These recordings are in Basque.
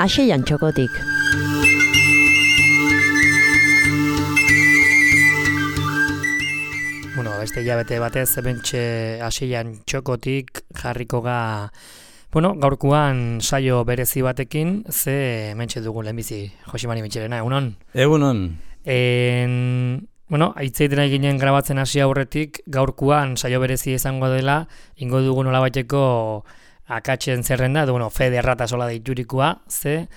Aseian txokotik. Bueno, beste hilabete batez, ebentxe Aseian txokotik jarriko ga, bueno, gaurkoan saio berezi batekin, ze hementxe dugu lehenbizi, Josimari Mitxelena, egunon? Egunon. Bueno, aitzeiten ginen grabatzen hasi aurretik, gaurkoan saio berezi izango dela, ingo dugu nolabaiteko akatzen zerrenda, edo, bueno, Fede Errata sola deiturikoa, ze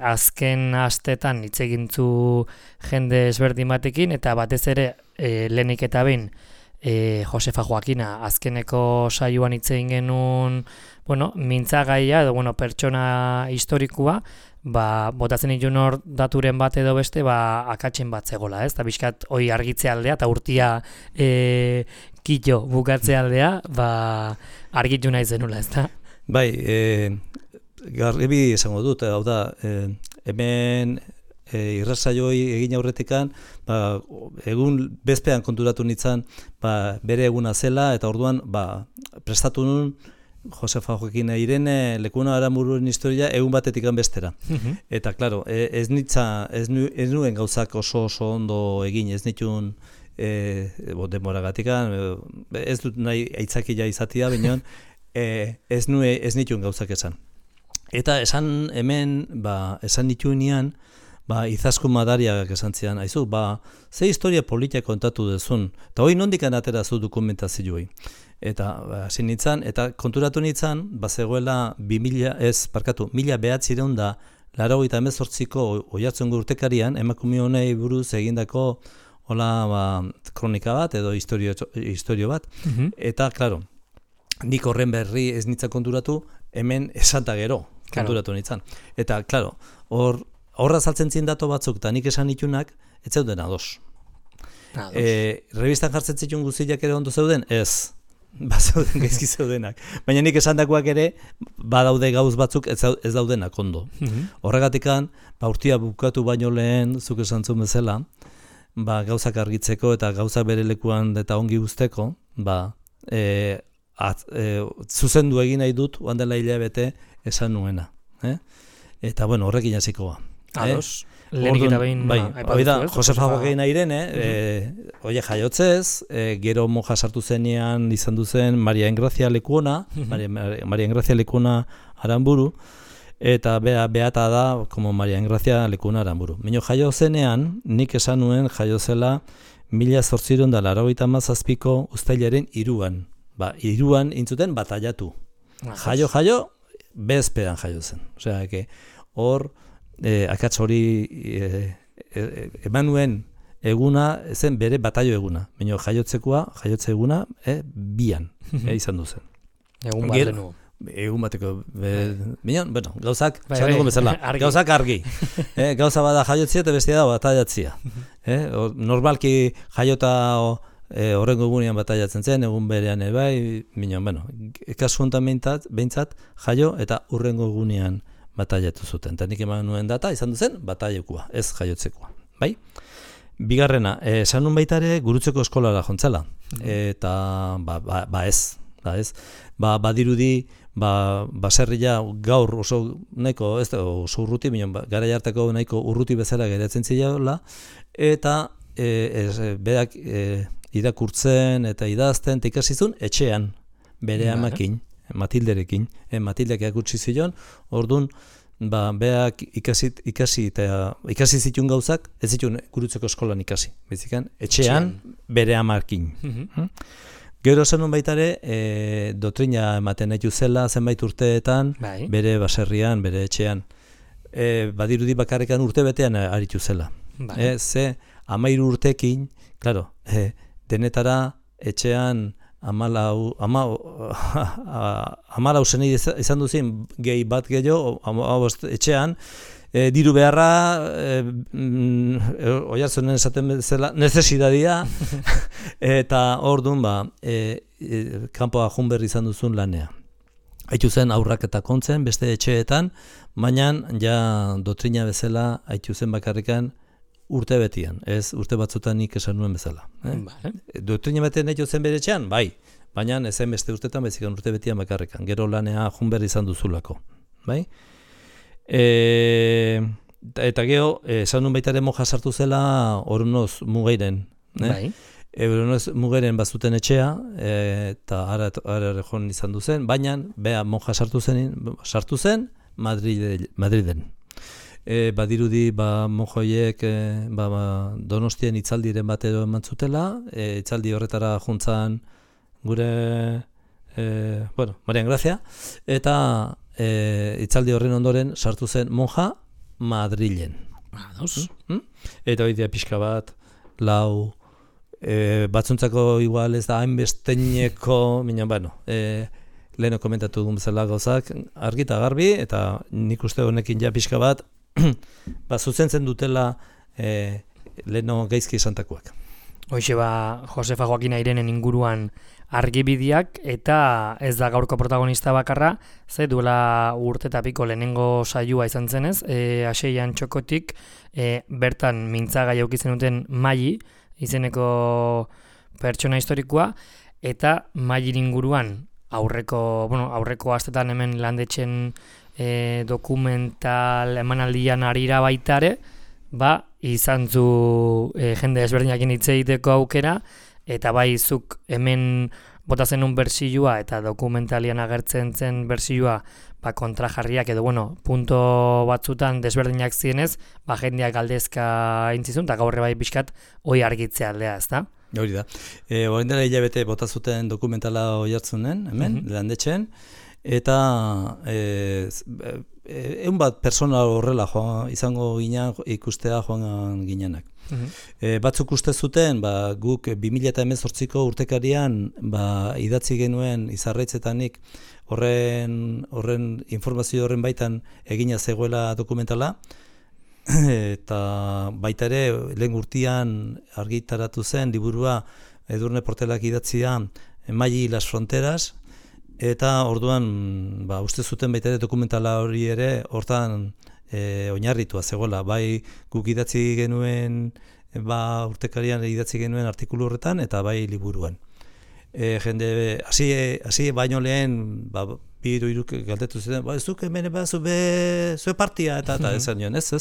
azken astetan hitz egintzu jende ezberdin batekin, eta batez ere lehenik eta behin Josefa Joakina azkeneko saioan hitz egin genuen, bueno, mintzagaia edo, bueno, pertsona historikoa, botatzen ditun hor daturen bat edo beste, akatzen bat zegoela, ez? Eta bizkat hoi argitze aldea, eta urtia kito bukatze aldea, argitu nahi zenula, ez da? Bai, garbi esango dut, hau da, hemen irrazaioi egin aurretikan, egun bezpean konturatu nintzen, bere eguna zela, eta orduan prestatu nun Josefa Joakina Irene Lekuna Aranbururen historia egun batetik bestera. Eta, klaro, ez nuen gauzak oso ondo egin, ez nituen demoragatikan, ez dut nahi aitzakia izatea, baina ez nituen gauzak esan. Eta esan hemen, esan nituenean, Izaskun Madariagak esan zian, aizu, ze historia politia kontatu dezun, eta hori nondikan atera zu dokumentazioei. Eta hasi nintzen, eta konturatu nintzen, zegoela 1998ko oihartzungo urtekarian, emakume honei buruz egindako kronika bat edo historio bat. Eta, klaro, nik horren berri ez nintzen konturatu, hemen esanta gero konturatu nintzen. Eta, klaro, horra saltzen zien dato batzuk, eta nik esan nitunak, ez zeuden ados. Revistan jartzen zituen guztiak ere ondo zeuden? Ez. Zeuden gaizki zeudenak. Baina nik esandakoak ere, badaude gauz batzuk ez daudenak ondo. Horregatikan, urtia bukatu baino lehen, zuk esan zuen bezala, gauzak argitzeko eta gauzak bere lekuan eta ongi guzteko, zuzendu egin nahi dut, oan dela hilabete esan nuena. Eta, bueno, horrekin hasiko ba. Ados, lehenik eta behin hori da, Josefa Joakina Irene, oie jaiotzez, gero monja sartu zenean izan duzen Maria Engrazia Lekuna, Maria Engrazia Lekuna Aranburu, eta beata da, como Maria Engrazia Lekuna Aranburu. Mino jaio zenean, nik esan nuen jaio zela 1897ko uztailaren 3an. Iruan intzuten batallatu. Jaio, bezpean jaio zen. Osea, hor, akats hori eman nuen eguna, zen bere batallo eguna. Baina jaiotze eguna, bian izan duzen. Egun bat denu. Egun bateko. Baina, bueno, gauzak, gauzak argi. Gauza bada jaiotzia eta bestia da batallatzia. Normalki jaiota horrengo egunean batallatzen zen, egun berean ebai, baina, bueno, kasu honetan behintzat jaio eta urrengo egunean batallatu zuten. Eta nik eman nuen data, izan duzen, batailekoa, ez jaiotzekoa. Bai? Bigarrena, esan nun baita ere Gurutzeko eskolara jontzela. Eta, ez. Badirudi, baserria gaur oso nahiko, ez da oso urruti, baina garai hartako nahiko urruti bezala geratzen zileola, eta berak irakurtzen eta idazten, eta ikasizun etxean, bere amakin. Matilderekin, Matildek erakutsi zion, orduan, beak ikasi zituen gauzak, ez zituen Gurutzeko eskolan ikasi, bezikan, etxean, bere amarkin. Gero zenun baitare, doktrina ematen nahi zela zenbait urteetan, bere baserrian, bere etxean, badirudi bakarrekan urte betean aritu zela. Ze, 13 urtekin, klaro, denetara etxean, Amalau zenei izan duzien gehi bat gehiago, etxean, diru beharra, oihartzunen esaten bezala, nezesidadia, eta orduan, kanpoa junberri izan duzun lanea. Haitu zen aurrak eta kontzen, beste etxeetan, baina ja doktrina bezala haitu zen bakarrikan urte betian, ez urte batzutan nik esan nuen bezala. Doktrina batean nahi zen bere etxean, bai, baina ez zen beste urtetan, bezikan urte betian bakarrikan, gero lanea junberri izan duzulako. Bai? Eta geho, esan nun baitaren moja sartu zela Oronoz Mugeiren. Bai. Oronoz Mugeiren bazuten etxea, eta ara joan izan duzen, baina bea moja sartu zen Madriden. Badirudi mojoiek Donostien itzaldiren batero eman zutela, itzaldi horretara juntzan gure Marian Grazia, eta itzaldi horren ondoren sartu zen monja Madrilen. Eta hori pixka bat, lau, batzuntzako igual ez da hainbesteineko, leheno komentatu dugun bezala gauzak, argi eta garbi, eta nik uste honekin ja pixka bat, zuzentzen dutela leheno gaizki esantakoak. Hoxe Josefa Joaquina Irenen inguruan argibideak, eta ez da gaurko protagonista bakarra, ze duela urte eta piko lehenengo saioa izan zenez, Aseian Txokotik, bertan mintzagai aukitzen duten Maili, izeneko pertsona historikoa, eta Maili inguruan aurreko astetan hemen landetzen dokumental emanaldian arira baitare, izan zu jende ezberdinekin hitz egiteko aukera, eta bai zuk hemen bota zenun bersioa eta dokumentalian agertzen zen bersioa kontrajarriak edo punto batzutan desberdinak zienez, jendeak galdezka intzizun, eta gaurre bai pixkat hoi argitzea aldea, ezta? Hori da. Orain dela hilabete bota zuten dokumentala oihartzunen, hemen, landetxen, eta egun bat persona horrela izango ginen ikustea joan ginenak. Batzuk uste zuten, guk 2018ko urtekarian idatzi genuen Izarraitzetanik horren informazio horren baitan egina zegoela dokumentala, eta baita ere lehen urtean argitaratu zen liburua Edurne Portelak idatzia Maili las fronteras, eta orduan uste zuten baita ere dokumentala hori ere hortan oinarritua zegoela, bai guk idatzi genuen urtekarian idatzi genuen artikulu horretan eta bai liburuan. Jende hasi baino lehen bi hiru hiruk galdetu zuten, zuk hemen zue partia eta esan nion, ez,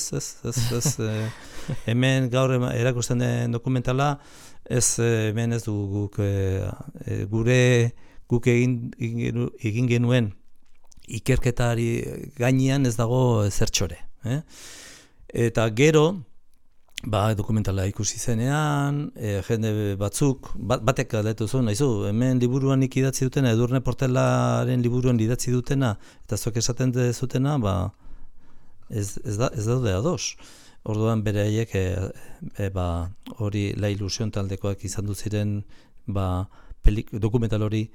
hemen gaur erakusten den dokumentala, hemen ez du guk egin genuen ikerketari gainean ez dago zertxore. Eta gero, dokumentala ikusi zenean, jende batzuk, batek galdetu zuen, nahizu, hemen liburuan idatzi dutena, Edurne Portelaren liburuan idatzi dutena, eta zuek esaten dezutena, ez daude ados. Orduan beraiek hori La Ilusión taldekoak izan du ziren dokumental hori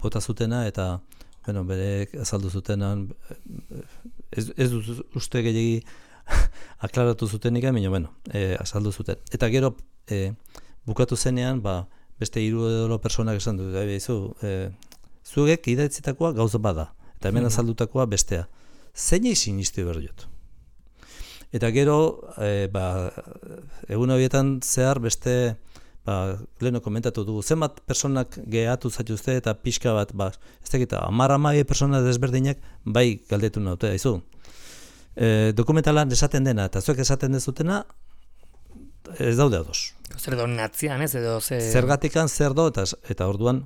bota zutena, eta berek azaldu zutenan, ez uste gehiagi aklaratu zutenik, azaldu zuten. Eta gero, bukatu zenean, beste 3 edo personak esan du, zuek idatzitakoa gauza bada, eta hemen azaldutakoa bestea. Zein izin iztu behar dut? Eta gero, egun horietan zehar beste, leheno komentatu dugu, zenbat personak gehatu zaituzte eta pixka bat, ez dakita, 10 persona desberdinak bai galdetu naute, haizu. Dokumentalan esaten dena eta zuek esaten dezutena ez daude ados. Zer do natzian ez edo zergatikan zer do eta orduan,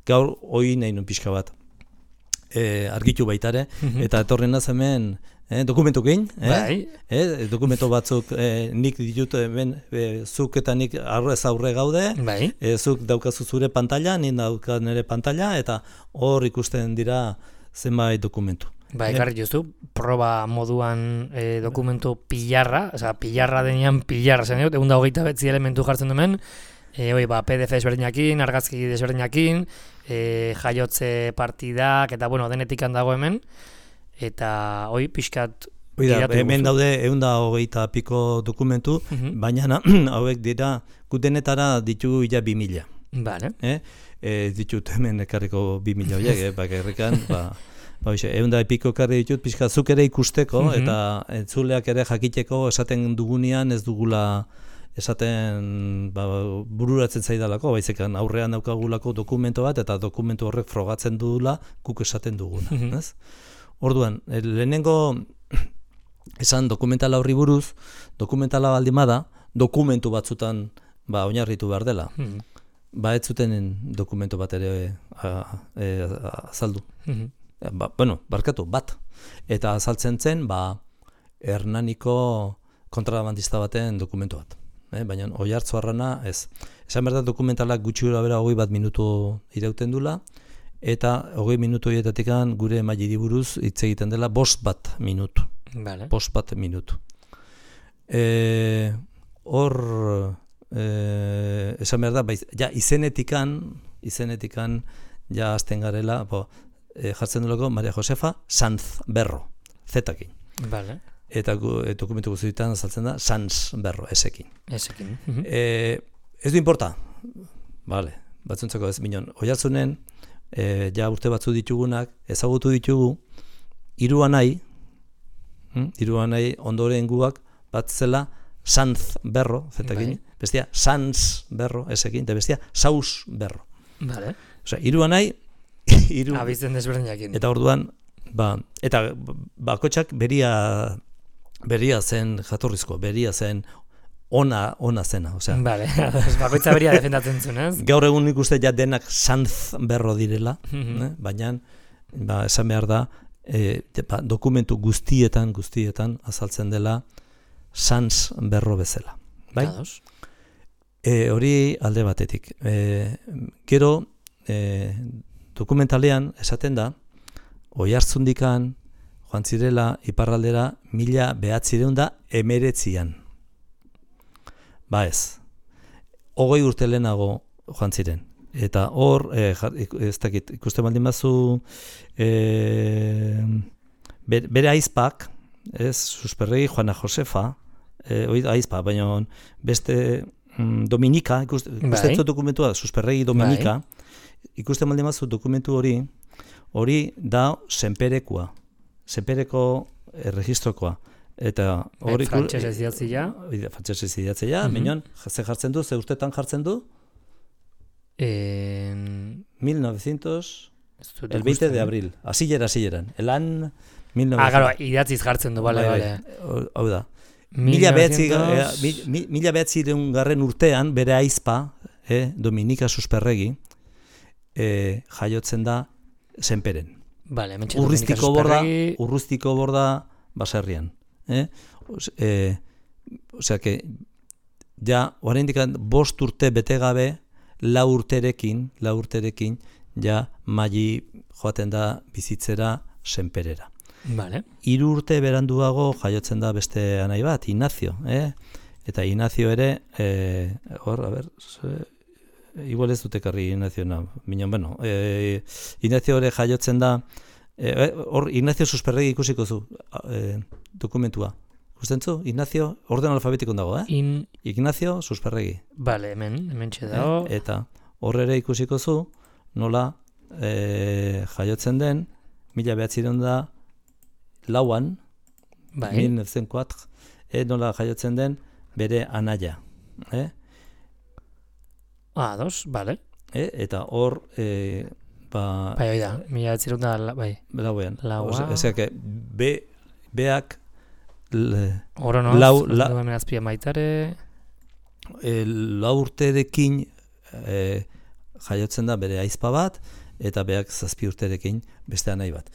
gaur hoi nahi nun pixka bat argitu baitare, eta etorren naz hemen dokumentukin, dokumento batzuk nik ditut zuk eta nik aurre gaude, zuk daukazu zure pantalla, nik daukat nire pantalla, eta hor ikusten dira zenbait dokumentu. Ekarri justu, proba moduan dokumentu pilarra, pilarra denean pilarra zen dut, 129 elementu jartzen dumen, PDF desberdinakin, argazki desberdinakin, jaiotze partidak, eta denetik handago hemen, eta pixkat hemen daude 120 piko dokumentu, baina hauek dira gutenetara ditugu 2000. Vale. Ditut hemen ekarriko 2000 horiek, bakarrikan, eunda piko ekarri ditut, pixka zuk ere ikusteko, eta entzuleak ere jakiteko esaten dugunean ez dugula esaten bururatzen zaidalako, baizekan aurrean daukagulako dokumento bat, eta dokumentu horrek frogatzen dugula guk esaten duguna. Orduan, lehenengo esan dokumentala horri buruz, dokumentala baldin bada, dokumentu batzutan oinarritu behar dela. Ez zuten dokumentu bat ere azaldu. Barkatu, bat. Eta azaltzen zen, Hernaniko kontrabandista baten dokumentu bat. Baina Oiartzuarrana ez. Esan behar da dokumentalak gutxi gora bera 21 minutu irauten dula, eta 20 minutu horietatik gure emaili buruz hitz egiten dela 5 minutu. Vale. 5 minutu. Hor, esan behar da, ja izenetikan ja azten garela, jartzen dulako Maria Josefa Sanz Berro, zetakin. Vale. Eta dokumentu guztietan azaltzen da Sanz Berro, esekin. Esekin. Ez du importa, vale, batzuntzako ez, minon, Oiartzunen, ja urte batzu ditugunak, ezagutu ditugu, Hiruanai ondoren guak bat zela Sanz Berro, zetakin, bestia Sanz Berro, esekin, eta bestia Saus Berro. Vale. Osea, Hiruanai, Abizten desberdinak. Eta orduan, eta bakotxak beria zen jatorrizko, beria zen ona zena, osea. Vale, bakoitza beria defendatzen zuen, ez? Gaur egun nik uste ja denak Sanz Berro direla, baina esan behar da, dokumentu guztietan azaltzen dela Sanz Berro bezala. Bai? Hori alde batetik. Gero, dokumentalean esaten da, Oiartzundikan joan zirela iparraldera 1919an. Ez. 20 urte lehenago joan ziren. Eta hor, ez dakit, ikusten baldin bazu, bere aizpak, Susperregi Juana Josefa, aizpa, baina beste Dominika, ikusten dokumentua, Susperregi Dominika, ikusten baldin bazu dokumentu hori da Senperekoa, Senpereko registrokoa. Eta hori frantsesez idatzia. Frantsesez idatzia, minon, ze jartzen du, ze urtetan jartzen du? 1900, el 20 de abril, hasieran. Elan 1900. Claro, idatziz jartzen du, bale. Hau da. 1900 urtean bere aizpa, Dominika Susperregi, jaiotzen da Senperen. Vale, Urrustiko borda baserrian. Osea que ja oraindik 5 urte bete gabe 4 urterekin ja Mali joaten da bizitzera Senperera. Vale. 3 urte beranduago jaiotzen da beste anai bat, Ignacio, Eta Ignacio ere hor, a ber, igual ez dute karri Ignacio bueno, Ignacio ere jaiotzen da hor Ignacio Susperregi ikusiko zu dokumentua. Ikusten zu? Ignacio, orden alfabetikon dago, Ignacio Susperregi. Vale, hemen txedago. Eta hor ere ikusiko zu nola jaiotzen den 1904, 1904, nola jaiotzen den bere anaia. Vale. Eta hor bai da, 1904 bai. Lauean. Osea que beak lau azpia maitare 4 urterekin jaiotzen da bere aizpa bat, eta beak 7 urterekin beste anai bat.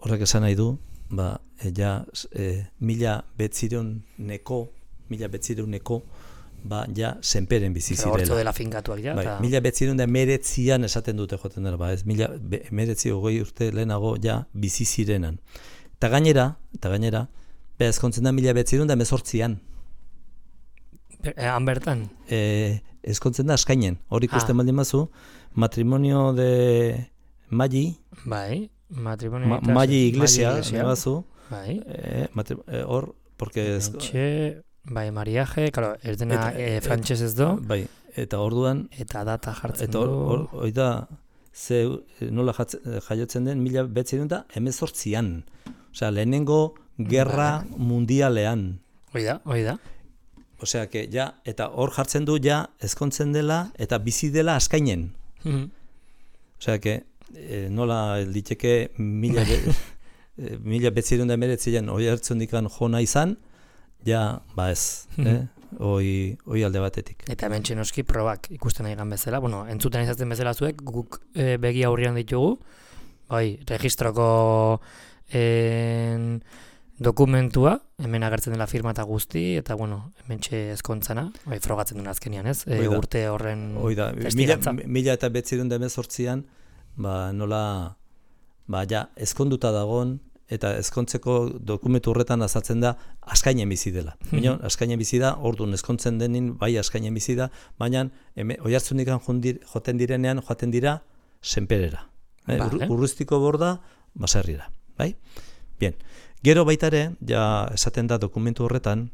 Horrek esan nahi du, ja 1900neko ja Senperen bizi zirela. Hortzo dela finkatuak ja. 1919an esaten dute joten dela, ez 1920 urte lehenago ja bizi zirenan. Eta gainera, ezkontzen da 1918an. Han bertan? Ezkontzen da eskainen, hori ikusten baldin bazu, matrimonio de Mali. Bai, matrimonio Mali iglesia, bazu. Bai. Hor, porque bai, mariaje, claro, ez dena frantses ez do. Bai, eta orduan eta data jartzen du. Eta hori da nola jaiotzen den 1918an. Osea, lehenengo gerra mundialean. Hoi da. Osea, que ja, eta hor jartzen du ja ezkontzen dela eta bizi dela askainen. Osea, que nola liteke 1919an Oiartzundikan jona izan, ja, ez, hoi alde batetik. Eta hemen txenoski probak ikusten nahi gan bezala, entzuten izatzen bezala zuek, guk begi aurrian ditugu, registroko dokumentua, hemen agertzen dela firma eta guzti, eta hemen ezkontzana, frogatzen duen azkenian, ez? Urte horren testigantza. 1918an, nola, ezkonduta dagon, eta ezkontzeko dokumentu horretan azaltzen da askainen bizi dela. Askainen bizi da, orduan ezkontzen denin, askainen bizi da, baina Oiartzundikan joaten dira senperera. Urruztiko borda, baserrira. Bien. Gero baita ere, esaten da dokumental horretan,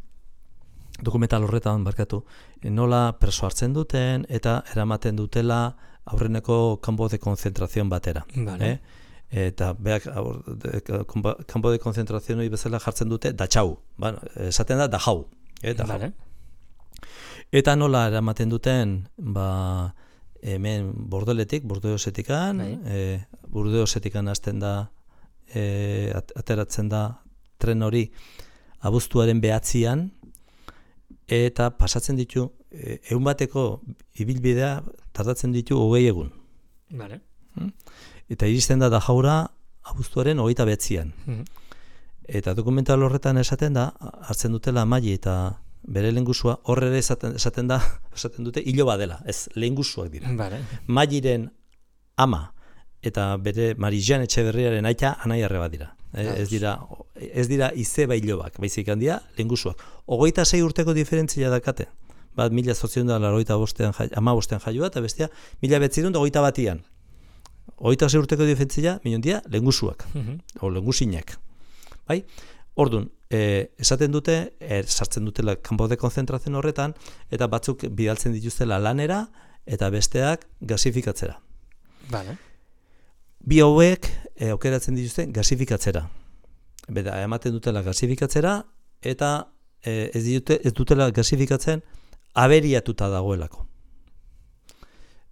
nola preso hartzen duten eta eramaten dutela aurreneko kanpo de konzentrazion batera. Eta beak kanpo de konzentrazio hori bezala jartzen dute Dachau, esaten da Dachau, eta nola eramaten duten hemen Burdeosetikan hasten da ateratzen da tren hori abuztuaren 9an eta pasatzen ditu egun bateko ibilbidea tardatzen ditu 20 egun. Eta iristen da Dajaura abuztuaren 29an. Eta dokumental horretan esaten da, hartzen dutela Mali eta bere lehengusua, horre esaten dute iloba dela, ez lehengusuak dira. Maliren ama eta bere Marijan Etxeberriaren aita anaiarre bat dira. Ez dira izeba ilobak, baizik handia lehengusuak. 26 urteko diferentzia dakate. Bat 1885an jaioa eta bestea 1921an. 26 urteko diferentzia, minundia, lehengusuak, o lehengusinak. Orduan, esaten dute, sartzen dutela kanpo de konzentrazio horretan, eta batzuk bidaltzen dituztela lanera, eta besteak gasifikatzera. Bi hauek aukeratzen dituzte gasifikatzera. Beda, ematen dutela gasifikatzera, eta ez dutela gasifikatzen aberiatuta dagoelako.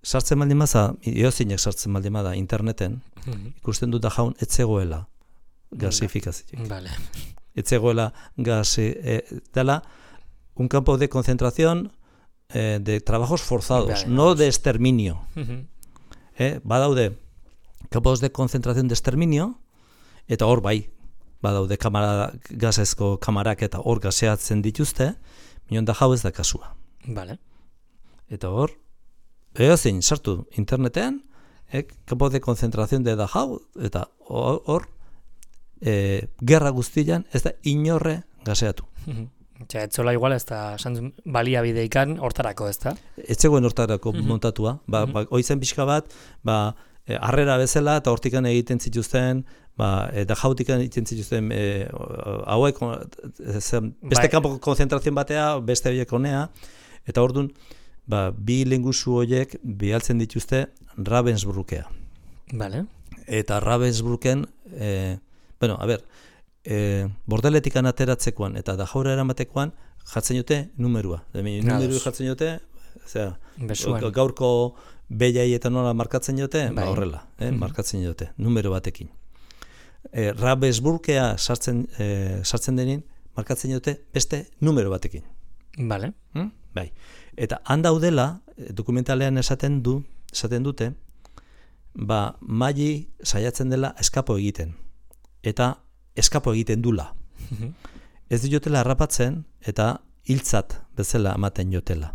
Sartzen baldin maza, iozinek sartzen baldin bada interneten, ikusten dut Dajaun etzegoela gasifikazioak. Etzegoela dela un campo de concentración de trabajos forzados, no de exterminio. Badaude campos de concentración de exterminio, eta hor badaude gasezko kamarak eta hor gaseatzen dituzte, minon Dajau ez da kasua. Eta hor, zein sartu interneten, campo de concentración de Dachau, eta hor, gerra guztian ez da inorre gaseatu. Etzola igual ez da baliabideikan hortarako, ez da? Etzegoen hortarako montatua. Oizen pixka bat, harrera bezala, eta hortikan egiten zituzten, Dajautikan egiten zituzten, hauek, beste campo konzentrazioen batea, beste horiek honea, eta orduan, bi lehengusu horiek bialtzen dituzte Ravensbrückea. Eta Ravensbrücken, bordeletikan ateratzekoan eta Dajaura eramatekoan jartzen dute numerua. Numeru jartzen dute, gaurko behiai eta nola markatzen dute, horrela, markatzen dute, numero batekin. Ravensbrückea sartzen denin, markatzen dute beste numero batekin. Eta handaudela, dokumentalean esaten dute, Mali saiatzen dela eskapo egiten. Eta eskapo egiten dula. Ez diotela harrapatzen eta hiltzat bezala ematen jotela.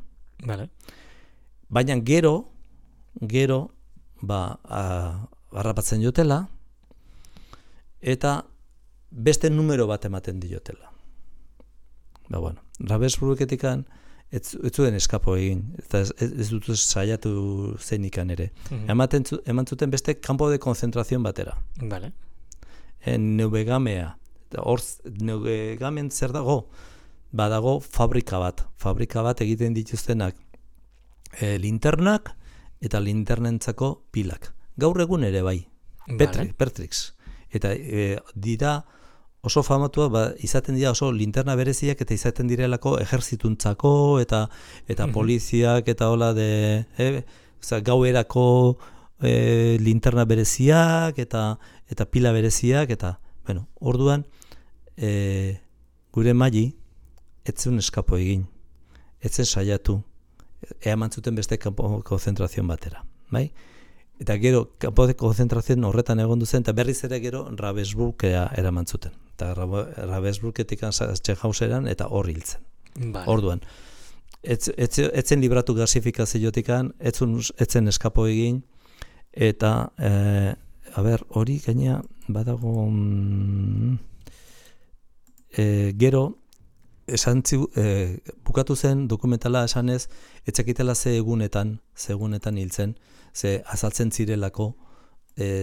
Baina gero harrapatzen jotela eta beste numero bat ematen diotela. Ravensbrücketikan ez zuen eskapo egin, eta ez dut saiatu zeinikan ere. Eman zuten beste campo de concentración batera. Neuvegamea. Neuvegamen zer dago? Badago fabrika bat egiten dituztenak linternak eta linternentzako pilak. Gaur egun ere Pertrix. Eta dira oso famatua, izaten dira oso linterna bereziak eta izaten direlako ejerzituntzako eta poliziak eta hola gauerako linterna bereziak eta pila bereziak eta Bueno, orduan, gure Mali, etzen eskapo egin, etzen saiatu, eaman zuten beste kanpo konzentrazioan batera, bai? Eta gero, kanpo de konzentrazioan horretan egon duzen, eta berriz ere gero Ravensbrückera eraman zuten. Eta Ravensbrücketik Sachsenhauseran eta hor hiltzen. Vale. Orduan, etzen libratu gasifikaziotikan, etzen eskapo egin, eta, hori gaina badago, gero, bukatu zen dokumentala esanez, etzakitela ze egunetan hiltzen, ze azaltzen zirelako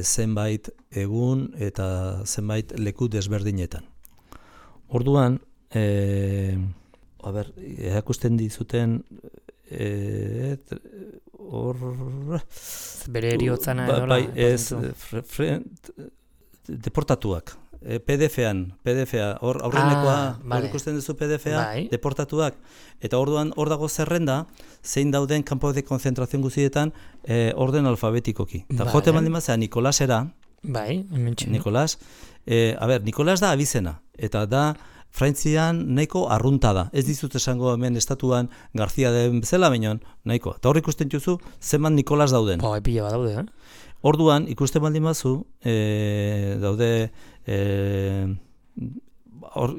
zenbait egun eta zenbait leku desberdinetan. Orduan, erakusten dizuten bere eriotzana edo bai, deportatuak. PDF-a, hor aurrenekoa, hor ikusten duzu PDF-a, deportatuak, eta orduan hor dago zerrenda, zein dauden kanpo de konzentrazioan guztietan orden alfabetikoki. Eta jote baldin bazea Nikolasera, Nikolas, Nikolas da abizena, eta da Frantzian nahiko arrunta da. Ez dizut esango hemen estatuan Garzia den bezala, baina nahiko. Eta hor ikusten duzu zenbat Nikolas dauden. Pila bat daude, Orduan, ikusten baldin bazu, daude,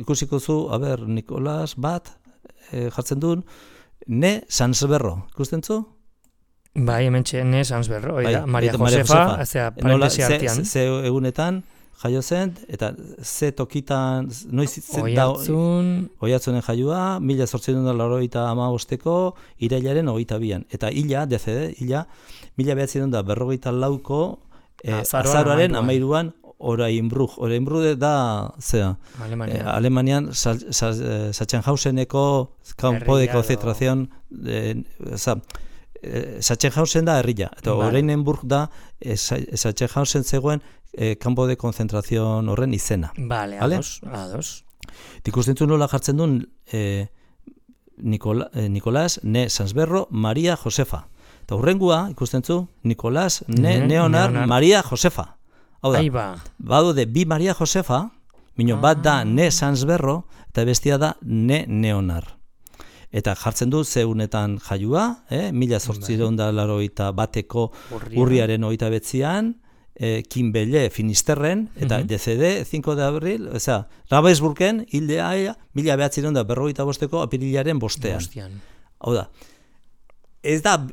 ikusiko zu, Nikolas bat, jartzen duen, ne Sansberro, ikusten zu? Bai, hemen ne Sansberro, Maria Josefa, parentesi artean. Ze egunetan, jaio zen, eta ze tokitan, Oiatzunen jaioa, 1885ko irailaren 22an. Eta hila, DCD, hila, 1942ko azaroaren 13an Orainbrug da, Alemanian, Sachsenhauseneko kanpo de konzentrazion, Sachsenhausen da herria, eta Oranienburg da Sachsenhausen zegoen kanpo de konzentrazion horren izena. Vale, ados. Ikusten nola jartzen duen Nikolas, ne Sansberro, Maria Josefa. Eta hurrengua, ikusten zu, Nikolas, ne Leonard, Maria Josefa. Hau da, badaude bi Maria Josefa, bat da ne Sansberro, eta bestia da ne Leonard. Eta jartzen du zeunetan jaiua, 1881ko urriaren 29an, Kinbelle Finisterren, eta DCD 5 de abril, Ravensbrücken hildea 1945ko apirilaren 5ean. Hau da, ez da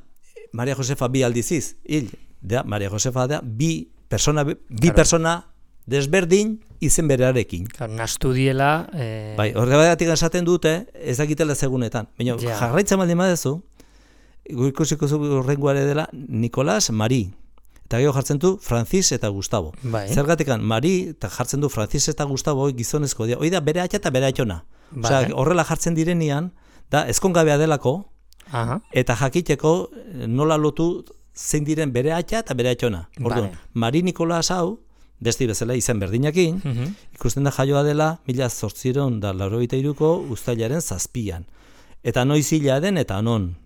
Maria Josefa bi aldiziz, Maria Josefa da bi persona desberdin izen berarekin. Nastu diela... Bai, horregatik esaten dute, ez dakitela segunetan. Baina, jarraitzen baldin badezu, ikusiko horrenguare dela Nikolas, Mari. Eta gero jartzen du Francis eta Gustavo. Zergatikan, Mari eta jartzen du Francis eta Gustavo gizonezko dira. Hoi da bere atxa eta bere atxona. Horrela jartzen direnean, da ezkongabea delako, eta jakiteko nola lotu zein diren bere atxa eta bere atxona. Orduan, Mari Nikolas hau, besti bezala izen berdinakin, ikusten da jaioa dela 1883ko uztailaren 7an. Eta noiz hila den eta non.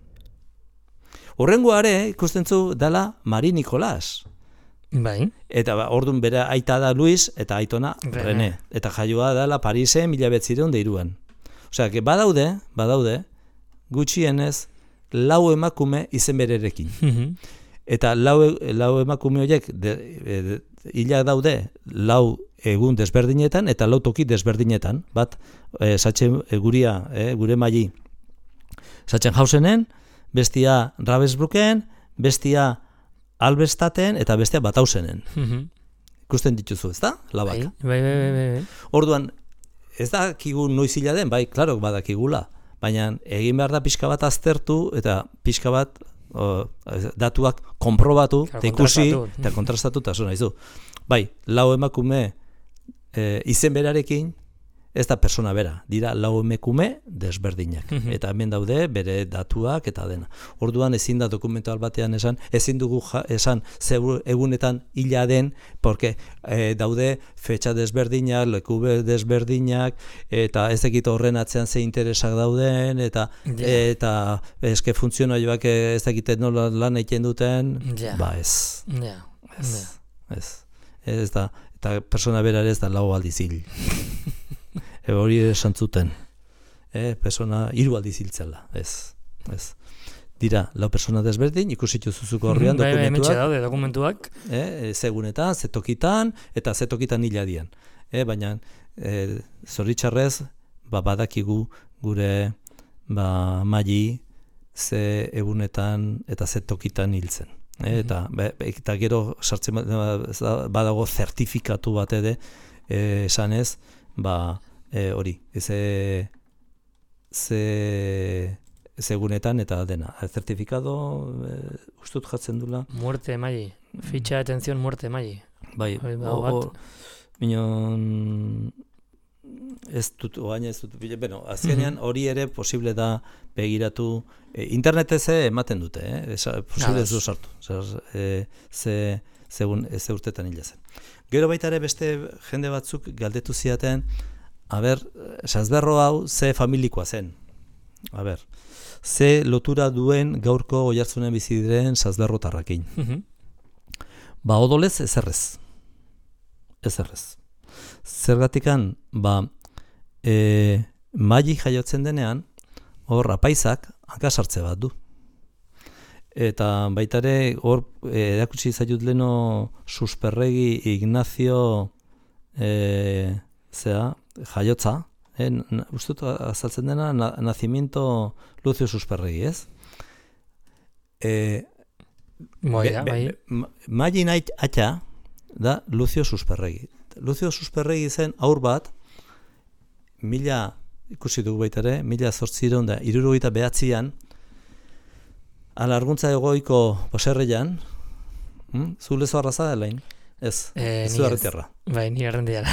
Horrengoare ikusten zu dela Mari Nikolas. Bai. Eta orduan bere aita da Luis eta aitona René. Eta jaioa dela Parisen 1903an. Osea, badaude, gutxienez, 4 emakume izen bererekin. Eta 4 emakume horiek hilak daude 4 egun desberdinetan eta 4 toki desberdinetan. Bat, gure Mali Sachsenhausenen, bestia Ravensbrücken, bestia Albestaten eta bestia Batausenen. Ikusten dituzu, ez da? Labak. Bai. Orduan, ez dakigu noiz hila den, bai, klaro, badakigula. Baina egin behar da pixka bat aztertu eta pixka bat datuak konprobatu, eta ikusi, eta kontrastatu, eta zona izu. Bai, 4 emakume izen berarekin, ez da persona bera, dira 4 emakume desberdinak. Eta hemen daude bere datuak eta dena. Orduan ezin da dokumental batean ezin dugu esan egunetan hila den, porque daude fetxa desberdinak, leku desberdinak, eta ez dakit horren atzean ze interesak dauden, eta eske funtzionarioak ez dakit nola lan egiten duten, ba ez. ez da, eta persona berare ez da 4 aldiz hil. Hori ere santzuten. Persona 3 aldiz hiltzela, ez. Dira, 4 persona desberdin, ikusitu zuzuko horrean dokumentuak. Zegunetan, zetokitan, eta zetokitan hiladian. Baina, zoritxarrez, badakigu gure maili ze egunetan eta zetokitan hiltzen. Eta gero sartzen badago zertifikatu bat ere, esanez, hori, egunetan eta dena. Zertifikado, ustut jatzen dula. Muerte maili, fitxa de atención muerte maili. Bai, minon... Ez dut, bueno, azkenean hori ere posible da begiratu, internetez ematen dute, posible ez du sartu, ze urtetan hila zen. Gero baita ere beste jende batzuk galdetu ziaten, sazberro hau ze familikoa zen, ze lotura duen gaurko oihartzunen bizi diren sazberrotarrakin. Odolez ezerrez. Zergatikan, maili jaiotzen denean, hor apaizak hankasartze bat du. Eta baitare hor erakutsi zaiut leno Susperregi Ignacio jaiotza, ustut azaltzen dena nacimiento Lucio Susperregi, ez? Maili atxa da Lucio Susperregi. Lucio Susperregi zen aur bat, ikusi dugu baita ere, 1869an, alarguntza egoiko baserreian, zu lezo arraza da lain? Ez, zu arretiarra. Bai, ni arrendiara.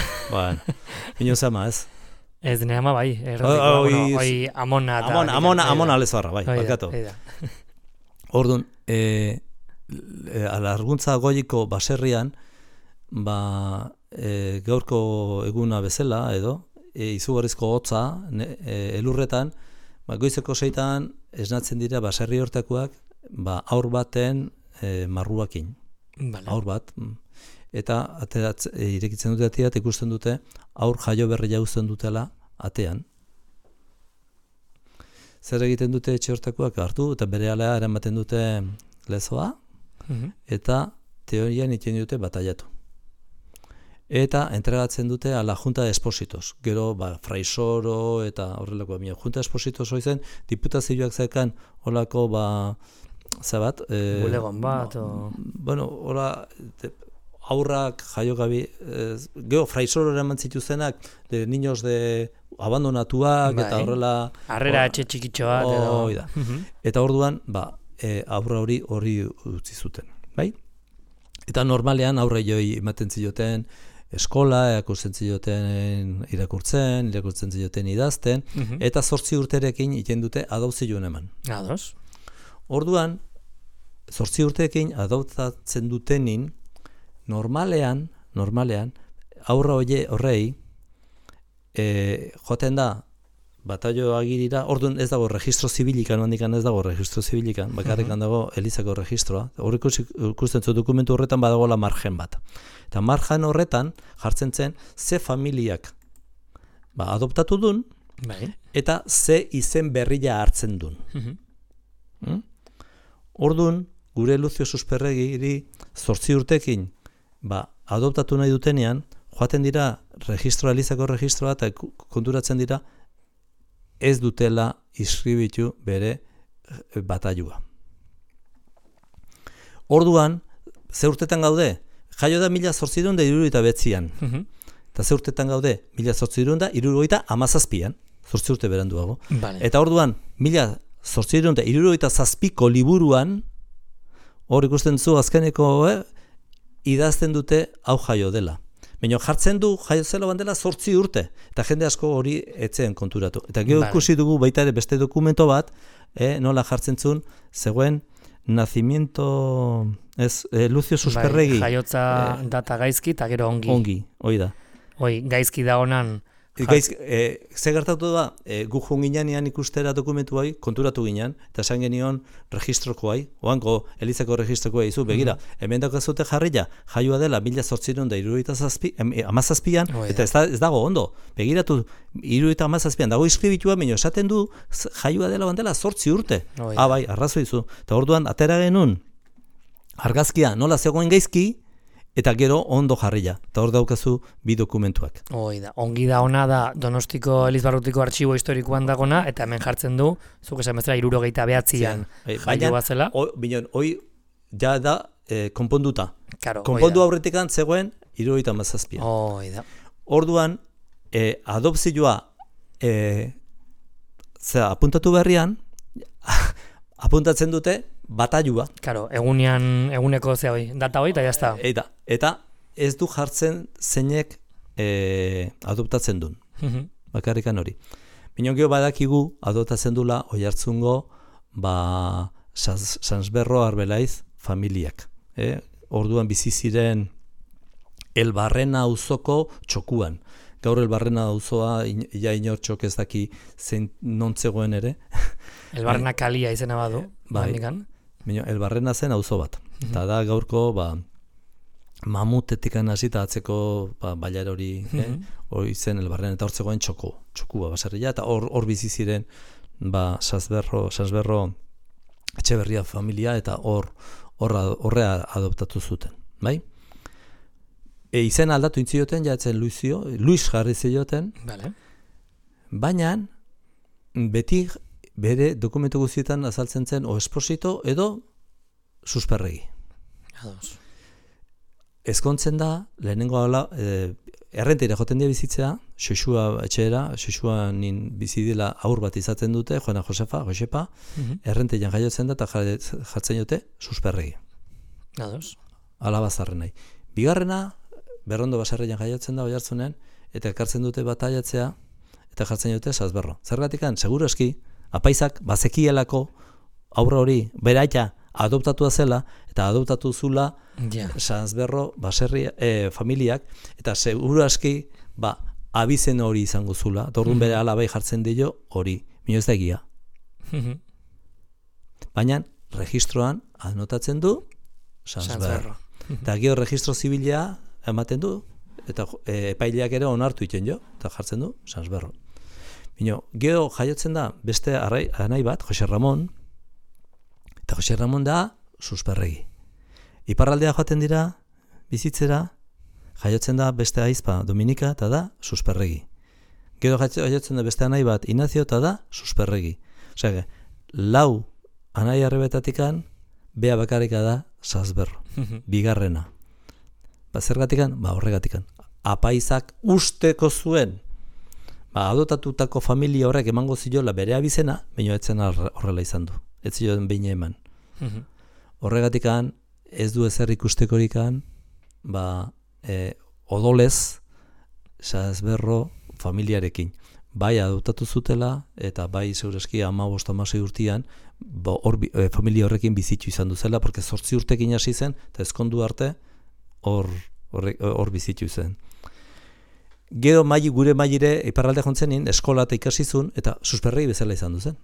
Ino zama, ez? Ez dene ama bai, Amona lezo arra, bai, barkatu. Orduan, alarguntza egoiko baserrian, gaurko eguna bezala edo izugarrizko hotza elurretan goizeko 6 esnatzen dira baserri hortakoak aur baten marruakin. Aur bat. Eta irekitzen dute atea eta ikusten dute aur jaio berria uzten dutela atean. Zer egiten dute etxe hortakoak hartu eta berehala eramaten dute lezoa eta teorian iten dute bataiatu. Eta entregatzen dute a la Junta de Expositos. Gero, Fraisoro eta horrelako Junta de Expositos hoizen, diputazioak zekan holako, bulegon bat, bueno, hola, aurrak jaiogabi, gero, Fraisoro eraman zituzenak, de niños de abandonatuak, eta horrela... Harrera etxe txikitxo bat, Eta orduan, aurra hori utzi zuten, bai? Eta normalean aurre joi ematen zioten eskola, irakurtzen zioten idazten, eta 8 urterekin iten dute adopzioen eman. Ados. Orduan, 8 urterekin adoptatzen dutenin, normalean, aurra horrei, joaten da, bataio agirira, orduan ez dago registro zibilikan, bakarrikan dago Elizako registroa, hor ikusten zu dokumentu horretan badagoela margen bat. Eta margen horretan jartzen zen ze familiak adoptatu dun, eta ze izen berria hartzen dun. Orduan, gure Lucio Susperregiri 8 urtekin adoptatu nahi dutenean, joaten dira Elizako registroa eta konturatzen dira ez dutela inscribitu bere batailua. Orduan, ze urtetan gaude? Jaio da 1879an. Eta ze urtetan gaude? 1877an, 8 urte beranduago. Eta orduan, 1877ko liburuan, hor ikusten zu azkeneko idazten dute hau jaio dela. Baina jartzen du jaio zela bandela 8 urte, eta jende asko hori etzen konturatu. Eta gero ikusi dugu baita ere beste dokumento bat, nola jartzen zuen, zegoen nacimiento, Lucio Susperregi. Jaiotza data gaizki eta gero ongi. Ongi, hoi da. Gaizki da honan Ze gertatu da, gu joan ginean ikustera dokumentu bai, konturatu ginean, eta esan genion registroko bai, oango Elizako registroko bai, begira, hemen daukazute jarria, jaioa dela 1877an, eta ez dago ondo, begiratu 1877an, dago iskribitua, baina esaten du jaioa dela bandela 8 urte. Bai, arrazoi zu. Eta orduan, atera genuen, argazkia nola zegoen gaizki, eta gero ondo jarria. Eta hor daukazu bi dokumentuak. Ongi da ona da Donostiko Elizbarrutiko artxibo historikoan dagona, eta hemen jartzen du, zuk esan bezala 79an jaio bat zela. Hoi ja da konponduta. Konpondu aurretikan zegoen 77an. Orduan, adopzioa apuntatu berrian, apuntatzen dute batailua. Eguneko data hoi, eta jazta. Eta ez du jartzen zeinek adoptatzen duen. Bakarrikan hori. Minon geho badakigu adoptatzen dula Oiartzungo Sansberro Arbelaiz familiak. Orduan bizi ziren Elbarrena auzoko txokuan. Gaur Elbarrena auzoa ja inor txok ez daki nontzegoen ere. Elbarrena kalia izena badu. Elbarrena zen auzo bat. Eta da gaurko mamutetikan hasita atzeko bailar hori hori zen Elbarrena, eta hortzegoen txokua baserria, eta hor bizi ziren Sansberro Etxeberria familia, eta horrea adoptatu zuten. Bai? Izen aldatu intzioten, jatzen Luis jarri zioten, baina beti bere dokumentu guztietan azaltzen zen o Esposito edo Susperregi. Ezkontzen da, lehenengo errentera joten dira bizitzea, Xoxua etxera, Xoxua nin bizidila aur bat izaten dute, Juana Josepa, errentean jaiotzen da, eta jartzen dute Susperregi. Alabazarren nahi. Bigarrena, Berrondo baserrian jaiotzen da Oiartzunen, eta ekartzen dute bataiatzea, eta jartzen dute Sansberro. Zergatikan, seguru eski, apaizak bazekielako aurra hori beraita adoptatua zela, eta adoptatu zula Sansberro baserria familiak, eta seguru eski abizen hori izango zula, eta orduan bere alabai jartzen dio hori, mino ez da egia. Baina, registroan anotatzen du Sansberro. Eta gero registro zibilea ematen du, eta epaileak ere onartu iten jo, eta jartzen du Sansberro. Gero jaiotzen da beste anai bat, Jose Ramon, eta Jose Ramon da Susperregi. Iparraldea joaten dira, bizitzera, jaiotzen da beste aizpa Dominika, eta da Susperregi. Gero jaiotzen da beste anai bat Ignacio, eta da Susperregi. Osea, lau anai arrebetatikan, bea bakarika da Sansberro, bigarrena. Zergatikan? Horregatikan. Apaizak usteko zuen, adotatutako familia horrek emango ziola bere abizena, baina etzen horrela izan du. Ez zioen behin eman. Horregatikan, ez du ezer ikustekorikan, odolez, Sansberro familiarekin. Bai adoptatu zutela, eta bai zeureski 15-16 urtean, familia horrekin bizitu izan duzela, porque 8 urtekin hasi zen, eta ezkondu arte, hor bizitu zen. Gero gure mailire iparralde jontzenin, eskola eta ikasizun, eta Susperregi bezala izan duzen.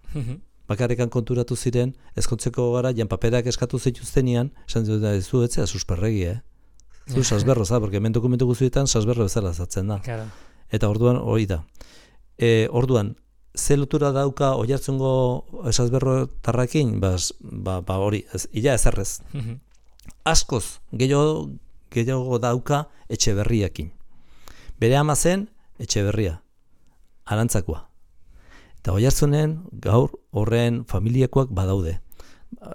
Bakarrikan konturatu ziren, ezkontzeko gara, paperak eskatu zituztenian, esan dut ez du etzea Susperregi, Zu Sansberro, porque hemen dokumentu guztietan Sansberro bezala zatzen da. Eta orduan hori da. Orduan, ze lotura dauka Oiartzungo Sansberro tarrakin, hori, ila ezerrez. Askoz, gehiago dauka Etxeberriakin. Bere ama zen Etxeberria, Arantzakoa. Eta Oiartzunen gaur horren familiakoak badaude.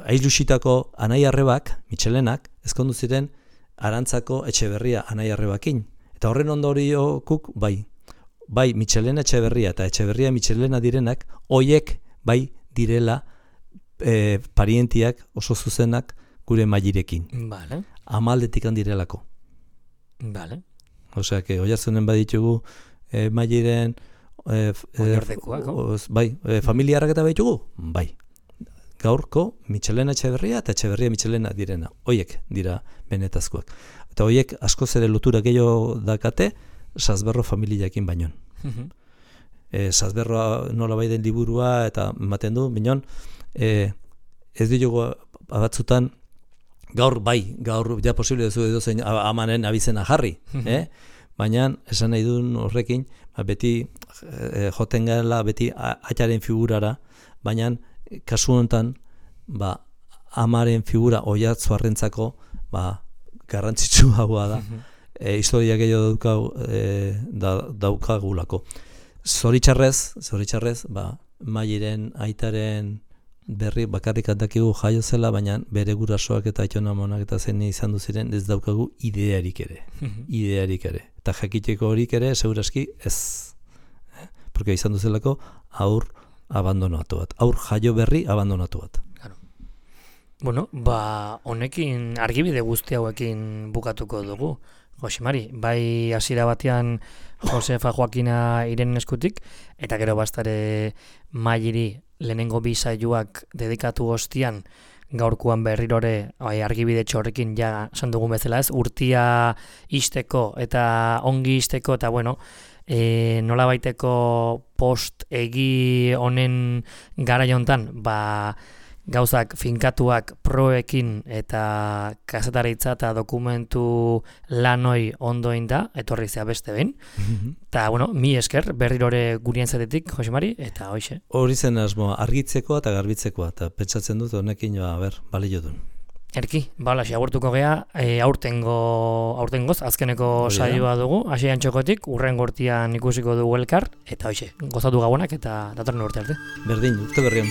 Ailusitako anai arrebak, Mitxelenak, ezkondu ziren Arantzako Etxeberria anai arrebakin. Eta horren ondoriokuk bai Mitxelena Etxeberria eta Etxeberria Mitxelena direnak, hoiek bai direla parientiak oso zuzenak gure mailerekin. Amaldetik handirelako. Osea, que Oiartzunen baditugu maileren familiarrak eta baditugu? Bai. Gaurko Mitxelena Etxeberria eta Etxeberria Mitxelena direna. Hoiek dira benetazkoak. Eta hoiek askoz ere lotura gehiago dakate Sansberro familiakin bainon. Zazberroa nola bai den liburua, eta ematen du, minon, ez ditugu batzutan, gaur ja posible duzu edo zein amanen abizena jarri, baina esan nahi duen horrekin, beti joten gala, beti atxaren figurara, baina kasu honetan, amaren figura oiatzu arrentzako, garrantzitsu haua da, historia gehiago daukagulako. Zoritxarrez, Mairen aitaren berri bakarrik dakigu jaio zela, baina bere gurasoak eta aitonamonak eta zen izan du ziren ez daukagu idearik ere. Eta jakiteko horik ere, segurazki ez. Porque izan du zelako aur abandonatu bat. Aur jaio berri abandonatu bat. Bueno, honekin argibide guzti hauekin bukatuko dugu. Josemari, bai hasiera batean Josefa Joakina Irenen eskutik, eta gero bastare Mairi lehenengo bi saioak dedikatu ostian, gaurkoan berrirore argibide horrekin ja esan dugun bezala ez, urtia isteko eta ongi isteko, eta bueno, nola baiteko post egi honen garai hontan, gauzak finkatuak proekin eta kazetaritza eta dokumentu lanoi ondoin da, etorri zea beste behin. Eta, bueno, mi esker, berrirore gurien zatetik, Josemari, eta hoxe. Hori zen asmoa, argitzekoa eta garbitzekoa, eta pentsatzen dut honekin balio duen. Erki, balaxi, agurtuko gea, aurtengoz, azkeneko saioa dugu, hasi antxokotik, urren gortian ikusiko dugu elkar, eta hoxe, gozatu gabonak eta datorren urte arte. Berdin, urte berrion.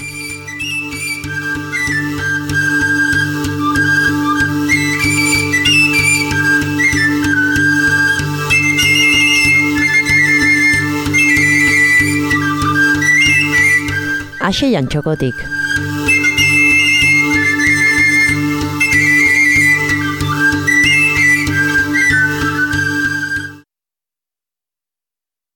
Aseian txokotik.